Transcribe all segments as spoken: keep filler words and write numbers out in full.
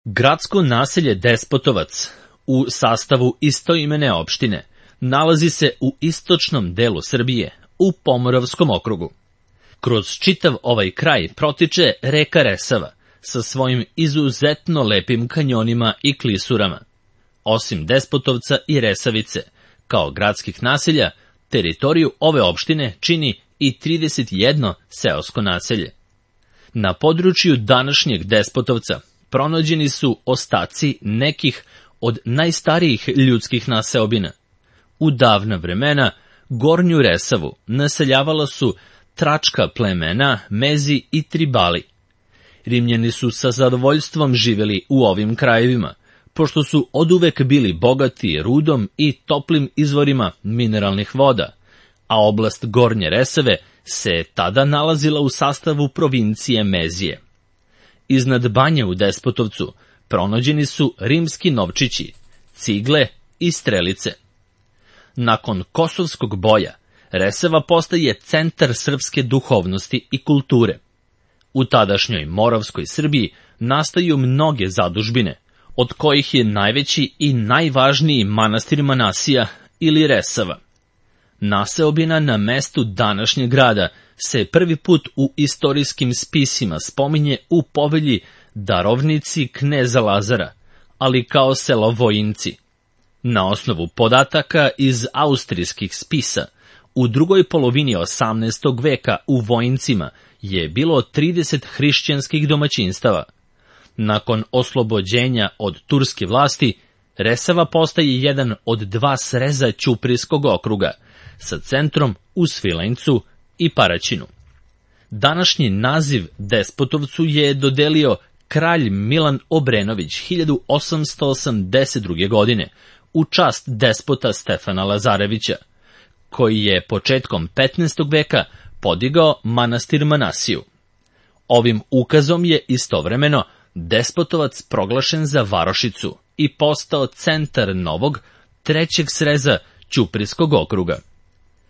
Gradsko naselje Despotovac u sastavu istoimene opštine nalazi se u istočnom delu Srbije, u Pomoravskom okrugu. Kroz čitav ovaj kraj protiče reka Resava sa svojim izuzetno lepim kanjonima i klisurama. Osim Despotovca i Resavice, kao gradskih naselja, teritoriju ove opštine čini i trideset jedno seosko naselje. Na području današnjeg Despotovca pronađeni su ostaci nekih od najstarijih ljudskih naseobina. U davna vremena Gornju Resavu naseljavala su tračka plemena, Mezi i Tribali. Rimljani su sa zadovoljstvom živjeli u ovim krajevima, pošto su oduvek bili bogati rudom i toplim izvorima mineralnih voda, a oblast Gornje Resave se tada nalazila u sastavu provincije Mezije. Iznad banje u Despotovcu pronađeni su rimski novčići, cigle i strelice. Nakon Kosovskog boja, Resava postaje centar srpske duhovnosti i kulture. U tadašnjoj Moravskoj Srbiji nastaju mnoge zadužbine, od kojih je najveći i najvažniji manastir Manasija ili Resava. Naseobina na mestu današnjeg grada se prvi put u istorijskim spisima spominje u povelji Darovnici kneza Lazara, ali kao selo Vojinci. Na osnovu podataka iz austrijskih spisa, u drugoj polovini osamnaestog veka u Vojincima je bilo trideset hrišćanskih domaćinstava. Nakon oslobođenja od turske vlasti, Resava postaje jedan od dva sreza Ćuprijskog okruga, sa centrom u Svilajncu i Paraćinu. Današnji naziv Despotovcu je dodelio kralj Milan Obrenović hiljadu osamsto osamdeset druge. godine u čast despota Stefana Lazarevića, koji je početkom petnaestog veka podigao manastir Manasiju. Ovim ukazom je istovremeno Despotovac proglašen za varošicu i postao centar novog, trećeg sreza Ćuprijskog okruga.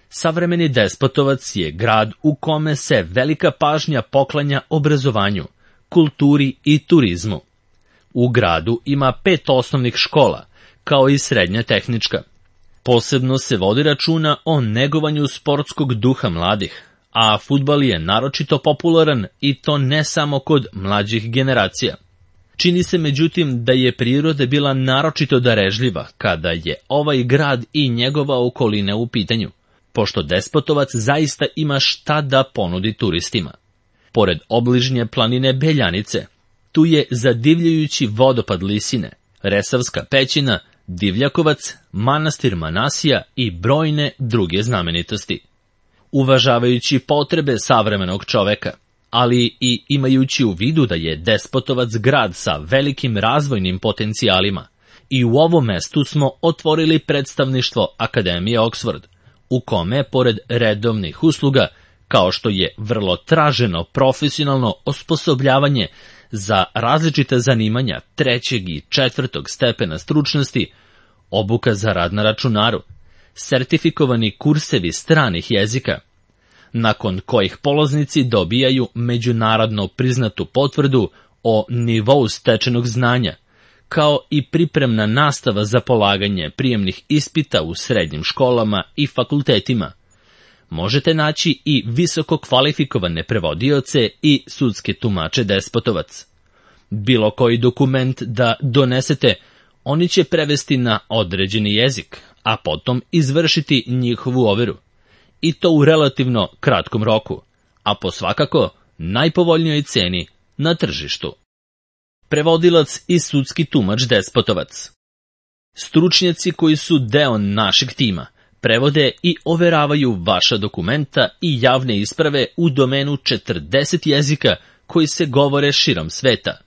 Savremeni Despotovac je grad u kome se velika pažnja poklanja obrazovanju, kulturi i turizmu. U gradu ima pet osnovnih škola, kao i srednja tehnička. Posebno se vodi računa o negovanju sportskog duha mladih, a fudbal je naročito popularan i to ne samo kod mlađih generacija. Čini se međutim da je priroda bila naročito darežljiva kada je ovaj grad i njegova okolina u pitanju, pošto Despotovac zaista ima šta da ponudi turistima. Pored obližnje planine Beljanice, tu je zadivljujući vodopad Lisine, Resavska pećina, Divljakovac, manastir Manasija i brojne druge znamenitosti. Uvažavajući potrebe savremenog čoveka, ali i imajući u vidu da je Despotovac grad sa velikim razvojnim potencijalima, i u ovom mestu smo otvorili predstavništvo Akademije Oxford, u kome, pored redovnih usluga, kao što je vrlo traženo profesionalno osposobljavanje za različita zanimanja trećeg i četvrtog stepena stručnosti, obuka za rad na računaru, sertifikovani kursevi stranih jezika, nakon kojih polaznici dobijaju međunarodno priznatu potvrdu o nivou stečenog znanja, kao i pripremna nastava za polaganje prijemnih ispita u srednjim školama i fakultetima. Možete naći i visoko kvalifikovane prevodioce i sudske tumače Despotovac. Bilo koji dokument da donesete, oni će prevesti na određeni jezik, a potom izvršiti njihovu overu. I to u relativno kratkom roku, a po svakako najpovoljnijoj ceni na tržištu. Prevodilac i sudski tumač Despotovac. Stručnjaci koji su deo našeg tima prevode i overavaju vaša dokumenta i javne isprave u domenu četrdeset jezika koji se govore širom sveta.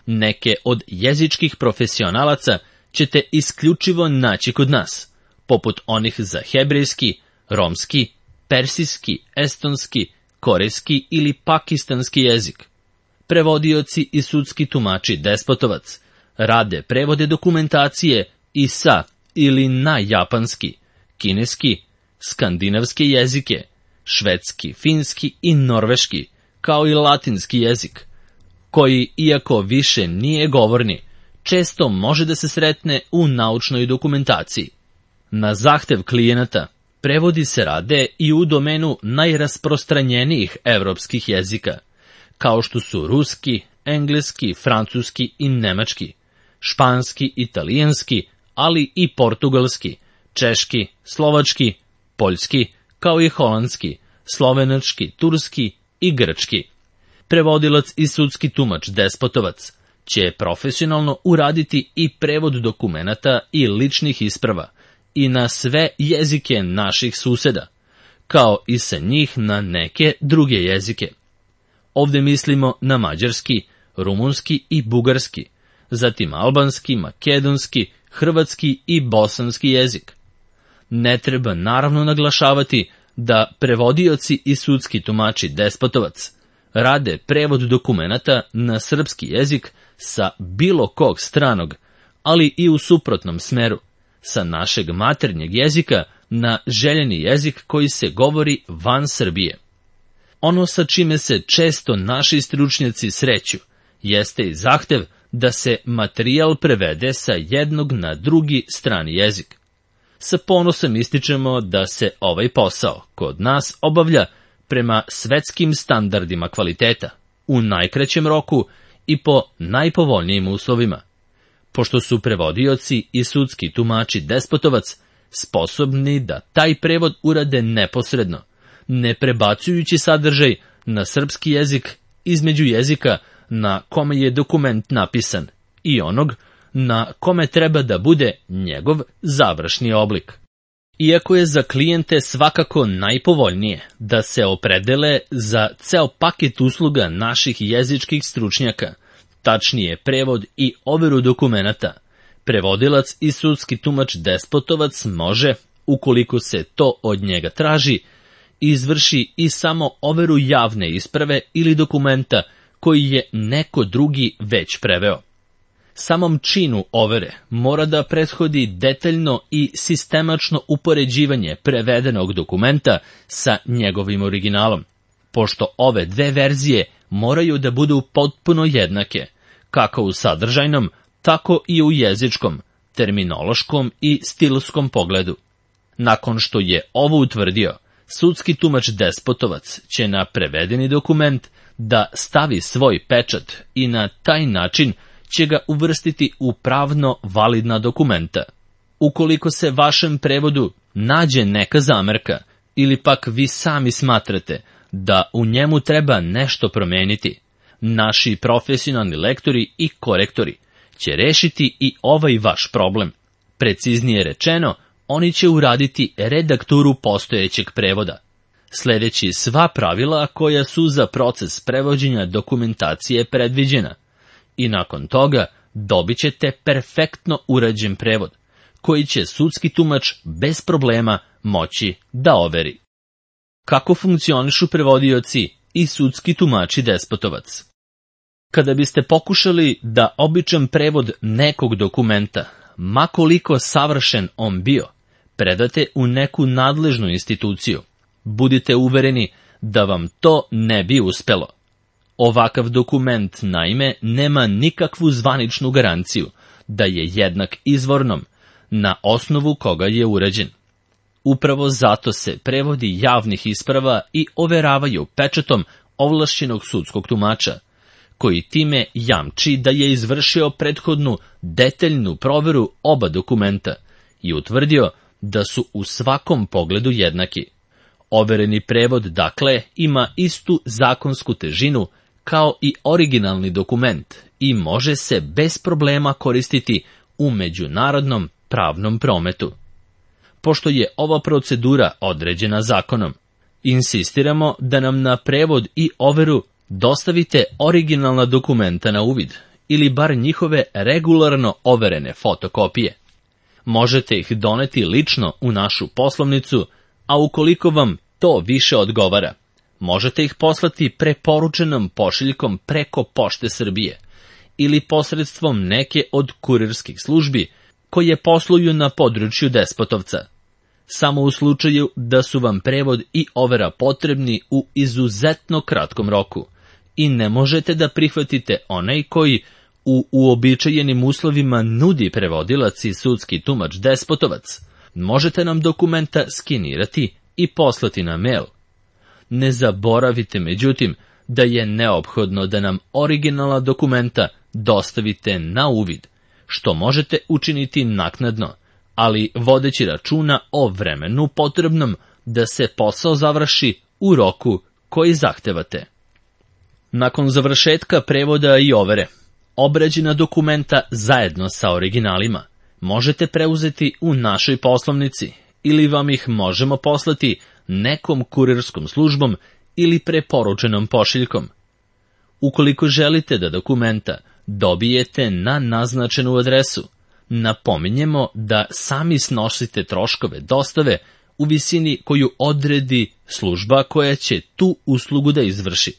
Neke od jezičkih profesionalaca ćete isključivo naći kod nas, poput onih za hebrejski, romski, persijski, estonski, korejski ili pakistanski jezik. Prevodioci i sudski tumači Despotovac rade prevode dokumentacije i sa ili na japanski, kineski, skandinavske jezike, švedski, finski i norveški, kao i latinski jezik, koji, iako više nije govorni, često može da se sretne u naučnoj dokumentaciji. Na zahtev klijenata, prevodi se rade i u domenu najrasprostranjenijih evropskih jezika, kao što su ruski, engleski, francuski i nemački, španski, italijanski, ali i portugalski, češki, slovački, poljski, kao i holandski, slovenački, turski i grčki. Prevodilac i sudski tumač Despotovac će profesionalno uraditi i prevod dokumenata i ličnih isprava i na sve jezike naših suseda, kao i sa njih na neke druge jezike. Ovde mislimo na mađarski, rumunski i bugarski, zatim albanski, makedonski, hrvatski i bosanski jezik. Ne treba naravno naglašavati da prevodioci i sudski tumači Despotovac rade prevod dokumenata na srpski jezik sa bilo kog stranog, ali i u suprotnom smeru, sa našeg maternjeg jezika na željeni jezik koji se govori van Srbije. Ono sa čime se često naši stručnjaci sreću jeste i zahtev da se materijal prevede sa jednog na drugi strani jezik. Sa ponosom ističemo da se ovaj posao kod nas obavlja prema svetskim standardima kvaliteta, u najkraćem roku i po najpovoljnijim uslovima. Pošto su prevodioci i sudski tumači Despotovac sposobni da taj prevod urade neposredno, ne prebacujući sadržaj na srpski jezik između jezika na kome je dokument napisan i onog na kome treba da bude njegov završni oblik. Iako je za klijente svakako najpovoljnije da se opredele za ceo paket usluga naših jezičkih stručnjaka, tačnije prevod i overu dokumenata, prevodilac i sudski tumač Despotovac može, ukoliko se to od njega traži, izvrši i samo overu javne isprave ili dokumenta koji je neko drugi već preveo. Samom činu overe mora da prethodi detaljno i sistemačno upoređivanje prevedenog dokumenta sa njegovim originalom, pošto ove dve verzije moraju da budu potpuno jednake, kako u sadržajnom, tako i u jezičkom, terminološkom i stilskom pogledu. Nakon što je ovo utvrdio, sudski tumač Despotovac će na prevedeni dokument da stavi svoj pečat i na taj način će ga uvrstiti u pravno validna dokumenta. Ukoliko se vašem prevodu nađe neka zamerka ili pak vi sami smatrate da u njemu treba nešto promeniti, naši profesionalni lektori i korektori će rešiti i ovaj vaš problem. Preciznije rečeno, oni će uraditi redakturu postojećeg prevoda, sledeći sva pravila koja su za proces prevođenja dokumentacije predviđena. I nakon toga dobit ćete perfektno urađen prevod, koji će sudski tumač bez problema moći da overi. Kako funkcionišu prevodioci i sudski tumači Despotovac? Kada biste pokušali da običan prevod nekog dokumenta, ma koliko savršen on bio, predate u neku nadležnu instituciju, budite uvereni da vam to ne bi uspelo. Ovakav dokument, naime, nema nikakvu zvaničnu garanciju da je jednak izvornom, na osnovu koga je urađen. Upravo zato se prevodi javnih isprava i overavaju pečatom ovlašćenog sudskog tumača, koji time jamči da je izvršio prethodnu detaljnu proveru oba dokumenta i utvrdio da su u svakom pogledu jednaki. Overeni prevod, dakle, ima istu zakonsku težinu kao i originalni dokument i može se bez problema koristiti u međunarodnom pravnom prometu. Pošto je ova procedura određena zakonom, insistiramo da nam na prevod i overu dostavite originalna dokumenta na uvid ili bar njihove regularno overene fotokopije. Možete ih doneti lično u našu poslovnicu, a ukoliko vam to više odgovara, možete ih poslati preporučenom pošiljkom preko Pošte Srbije ili posredstvom neke od kurirskih službi koje posluju na području Despotovca, samo u slučaju da su vam prevod i overa potrebni u izuzetno kratkom roku i ne možete da prihvatite onaj koji u uobičajenim uslovima nudi prevodilac i sudski tumač Despotovac, možete nam dokumenta skenirati i poslati na mail. Ne zaboravite, međutim, da je neophodno da nam originalna dokumenta dostavite na uvid, što možete učiniti naknadno, ali vodeći računa o vremenu potrebnom da se posao završi u roku koji zahtevate. Nakon završetka prevoda i overe, obrađena dokumenta zajedno sa originalima možete preuzeti u našoj poslovnici ili vam ih možemo poslati nekom kurirskom službom ili preporučenom pošiljkom. Ukoliko želite da dokumenta dobijete na naznačenu adresu, napominjemo da sami snosite troškove dostave u visini koju odredi služba koja će tu uslugu da izvrši.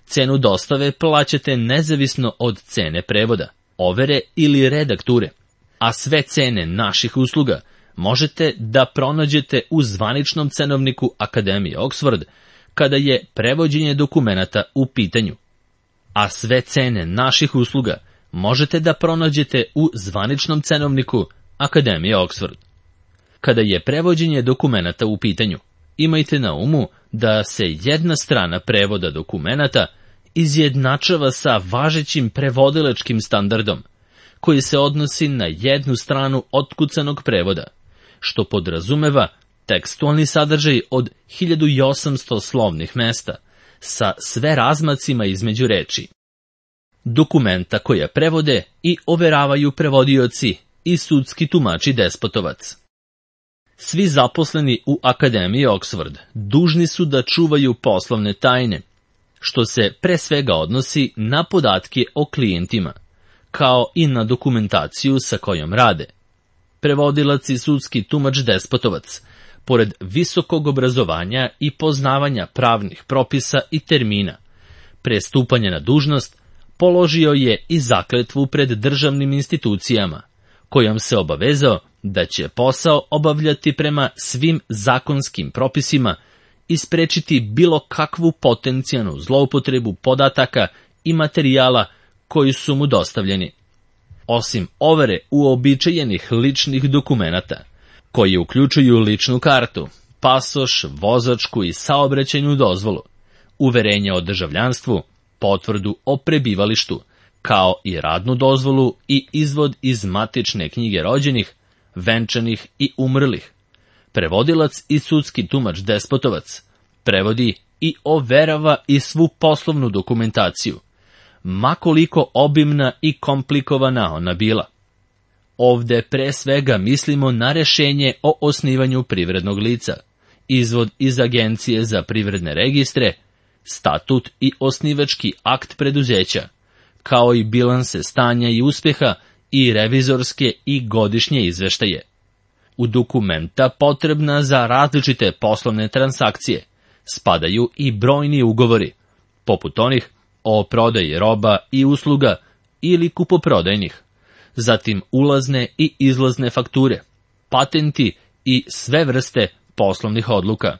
Cenu dostave plaćate nezavisno od cene prevoda, overe ili redakture, a sve cene naših usluga možete da pronađete u zvaničnom cenovniku Akademije Oxford kada je prevođenje dokumenata u pitanju. A sve cene naših usluga možete da pronađete u zvaničnom cenovniku Akademije Oxford. Kada je prevođenje dokumenata u pitanju, imajte na umu da se jedna strana prevoda dokumenata izjednačava sa važećim prevodilačkim standardom, koji se odnosi na jednu stranu otkucanog prevoda, što podrazumeva tekstualni sadržaj od hiljadu osamsto slovnih mesta, sa sve razmacima između reči. Dokumenta koja prevode i overavaju prevodioci i sudski tumači Despotovac. Svi zaposleni u Akademiji Oxford dužni su da čuvaju poslovne tajne, što se pre svega odnosi na podatke o klijentima, kao i na dokumentaciju sa kojom rade. Prevodilac i sudski tumač Despotovac, pored visokog obrazovanja i poznavanja pravnih propisa i termina, pre stupanja na dužnost, položio je i zakletvu pred državnim institucijama, kojom se obavezao da će posao obavljati prema svim zakonskim propisima i sprečiti bilo kakvu potencijalnu zloupotrebu podataka i materijala koji su mu dostavljeni. Osim overe uobičajenih ličnih dokumenata, koji uključuju ličnu kartu, pasoš, vozačku i saobraćajnu dozvolu, uverenje o državljanstvu, potvrdu o prebivalištu, kao i radnu dozvolu i izvod iz matične knjige rođenih, venčanih i umrlih. Prevodilac i sudski tumač Despotovac prevodi i overava i svu poslovnu dokumentaciju, ma koliko obimna i komplikovana ona bila. Ovde pre svega mislimo na rešenje o osnivanju privrednog lica, izvod iz Agencije za privredne registre, statut i osnivački akt preduzeća, kao i bilanse stanja i uspeha i revizorske i godišnje izveštaje. U dokumenta potrebna za različite poslovne transakcije spadaju i brojni ugovori, poput onih o prodaji roba i usluga ili kupoprodajnih, zatim ulazne i izlazne fakture, patenti i sve vrste poslovnih odluka.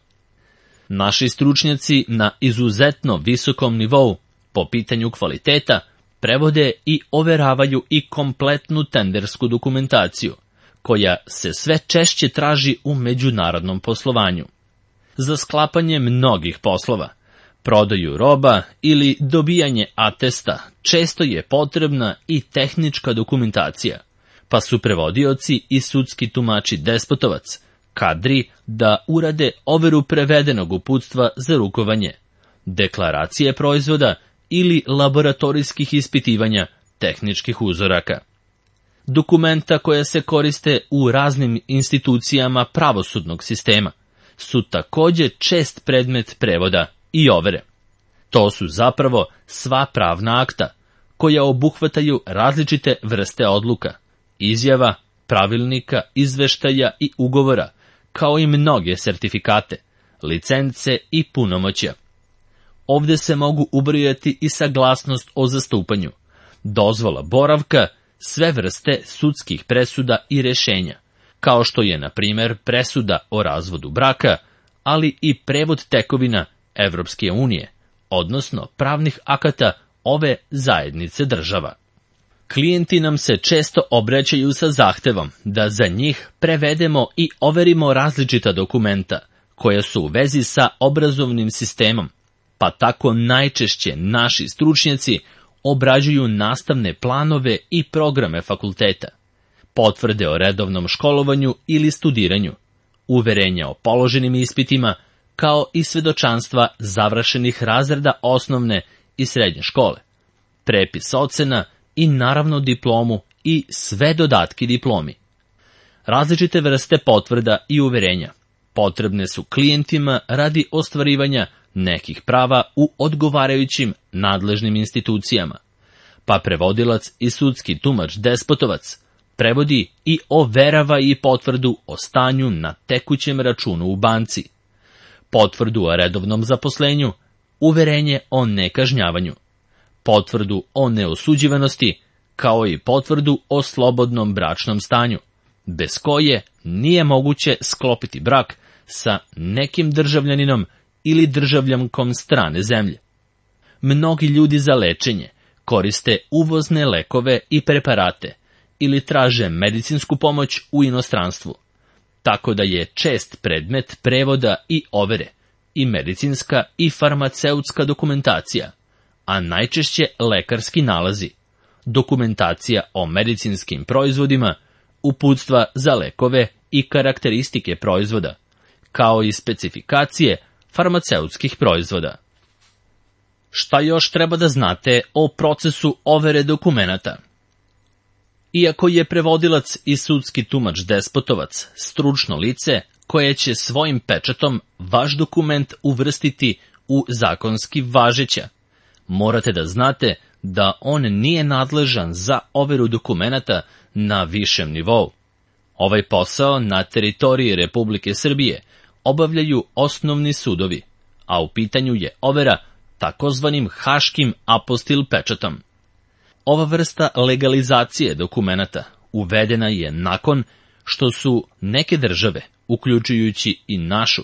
Naši stručnjaci na izuzetno visokom nivou po pitanju kvaliteta prevode i overavaju i kompletnu tendersku dokumentaciju, koja se sve češće traži u međunarodnom poslovanju. Za sklapanje mnogih poslova, prodaju roba ili dobijanje atesta često je potrebna i tehnička dokumentacija, pa su prevodioci i sudski tumači Despotovac kadri da urade overu prevedenog uputstva za rukovanje, deklaracije proizvoda ili laboratorijskih ispitivanja tehničkih uzoraka. Dokumenta koja se koriste u raznim institucijama pravosudnog sistema su takođe čest predmet prevoda i overe. To su zapravo sva pravna akta, koja obuhvataju različite vrste odluka, izjava, pravilnika, izveštaja i ugovora, kao i mnoge sertifikate, licence i punomoćja. Ovde se mogu ubrojati i saglasnost o zastupanju, dozvola boravka, sve vrste sudskih presuda i rešenja, kao što je, na primer, presuda o razvodu braka, ali i prevod tekovina Evropske unije, odnosno pravnih akata ove zajednice država. Klijenti nam se često obraćaju sa zahtevom da za njih prevedemo i overimo različita dokumenta koja su u vezi sa obrazovnim sistemom, pa tako najčešće naši stručnjaci obrađuju nastavne planove i programe fakulteta, potvrde o redovnom školovanju ili studiranju, uverenja o položenim ispitima, kao i svedočanstva završenih razreda osnovne i srednje škole, prepis ocena i naravno diplomu i sve dodatki diplomi. Različite vrste potvrda i uverenja potrebne su klijentima radi ostvarivanja nekih prava u odgovarajućim nadležnim institucijama, pa prevodilac i sudski tumač Despotovac prevodi i overava i potvrdu o stanju na tekućem računu u banci, potvrdu o redovnom zaposlenju, uverenje o nekažnjavanju, potvrdu o neosuđivanosti, kao i potvrdu o slobodnom bračnom stanju, bez koje nije moguće sklopiti brak sa nekim državljaninom ili državljankom strane zemlje. Mnogi ljudi za lečenje koriste uvozne lekove i preparate ili traže medicinsku pomoć u inostranstvu, tako da je čest predmet prevoda i overe i medicinska i farmaceutska dokumentacija, a najčešće lekarski nalazi, dokumentacija o medicinskim proizvodima, uputstva za lekove i karakteristike proizvoda, kao i specifikacije farmaceutskih proizvoda. Šta još treba da znate o procesu overe dokumenata? Iako je prevodilac i sudski tumač Despotovac stručno lice koje će svojim pečatom vaš dokument uvrstiti u zakonski važeća, morate da znate da on nije nadležan za overu dokumenata na višem nivou. Ovaj posao na teritoriji Republike Srbije obavljaju osnovni sudovi, a u pitanju je overa takozvanim haškim apostil pečatom. Ova vrsta legalizacije dokumenata uvedena je nakon što su neke države, uključujući i našu,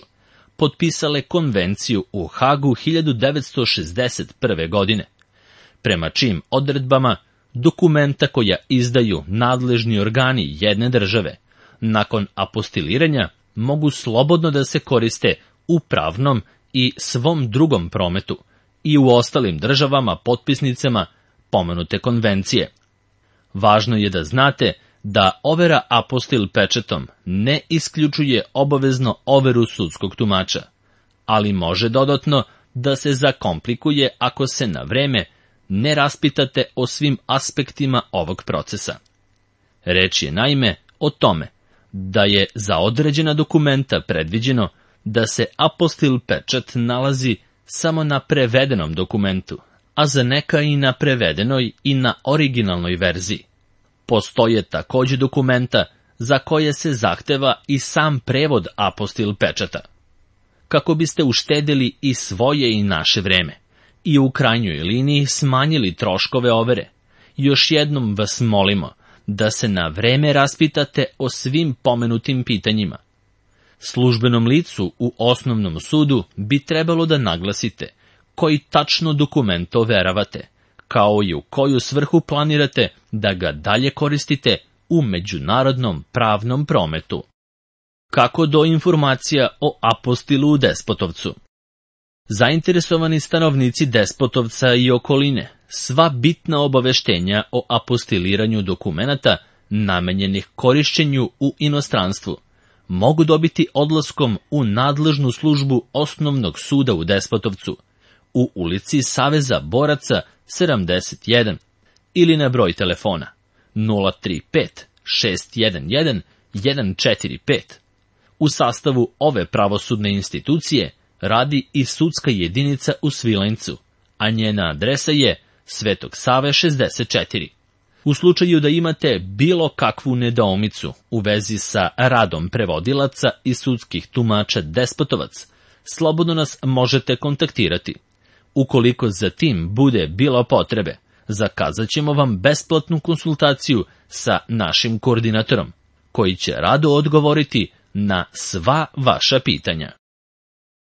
potpisale konvenciju u Hagu hiljadu devetsto šezdeset prve. godine, prema čijim odredbama dokumenta koja izdaju nadležni organi jedne države, nakon apostiliranja mogu slobodno da se koriste u pravnom i svom drugom prometu i u ostalim državama potpisnicama pomenute konvencije. Važno je da znate da overa apostil pečatom ne isključuje obavezno overu sudskog tumača, ali može dodatno da se zakomplikuje ako se na vreme ne raspitate o svim aspektima ovog procesa. Reč je naime o tome da je za određena dokumenta predviđeno da se apostil pečat nalazi samo na prevedenom dokumentu, a za neka i na prevedenoj i na originalnoj verziji. Postoje takođe dokumenta za koje se zahteva i sam prevod apostil pečata. Kako biste uštedeli i svoje i naše vreme i u krajnjoj liniji smanjili troškove overe, još jednom vas molimo da se na vreme raspitate o svim pomenutim pitanjima. Službenom licu u osnovnom sudu bi trebalo da naglasite koji tačno dokument overavate, kao i u koju svrhu planirate da ga dalje koristite u međunarodnom pravnom prometu. Kako do informacija o apostilu u Despotovcu? Zainteresovani stanovnici Despotovca i okoline sva bitna obaveštenja o apostiliranju dokumenata namenjenih korišćenju u inostranstvu mogu dobiti odlaskom u nadležnu službu Osnovnog suda u Despotovcu u ulici Saveza boraca sedamdeset jedan ili na broj telefona nula tri pet šest jedan jedan jedan četiri pet. U sastavu ove pravosudne institucije radi i sudska jedinica u Svilajncu, a njena adresa je Svetog Save šezdeset četiri. U slučaju da imate bilo kakvu nedoumicu u vezi sa radom prevodilaca i sudskih tumača Despotovac, slobodno nas možete kontaktirati. Ukoliko za tim bude bilo potrebe, zakazat ćemo vam besplatnu konsultaciju sa našim koordinatorom, koji će rado odgovoriti na sva vaša pitanja.